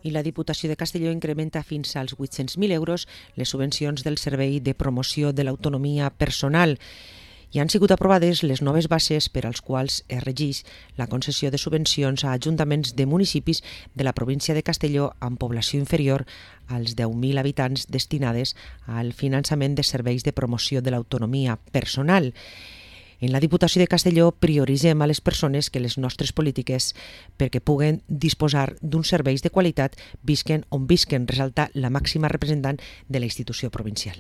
I la Diputació de Castelló incrementa fins als 800.000 euros les subvencions del Servei de Promoció de l'Autonomia Personal. I han sigut aprovades les noves bases per als quals es regeix la concessió de subvencions a ajuntaments de municipis de la província de Castelló amb població inferior als 10.000 habitants destinades al finançament de serveis de promoció de l'autonomia personal. En la Diputació de Castelló prioritzem a les persones que les nostres polítiques perquè puguen disposar d'uns serveis de qualitat visquen on visquen, resalta la màxima representant de la institució provincial.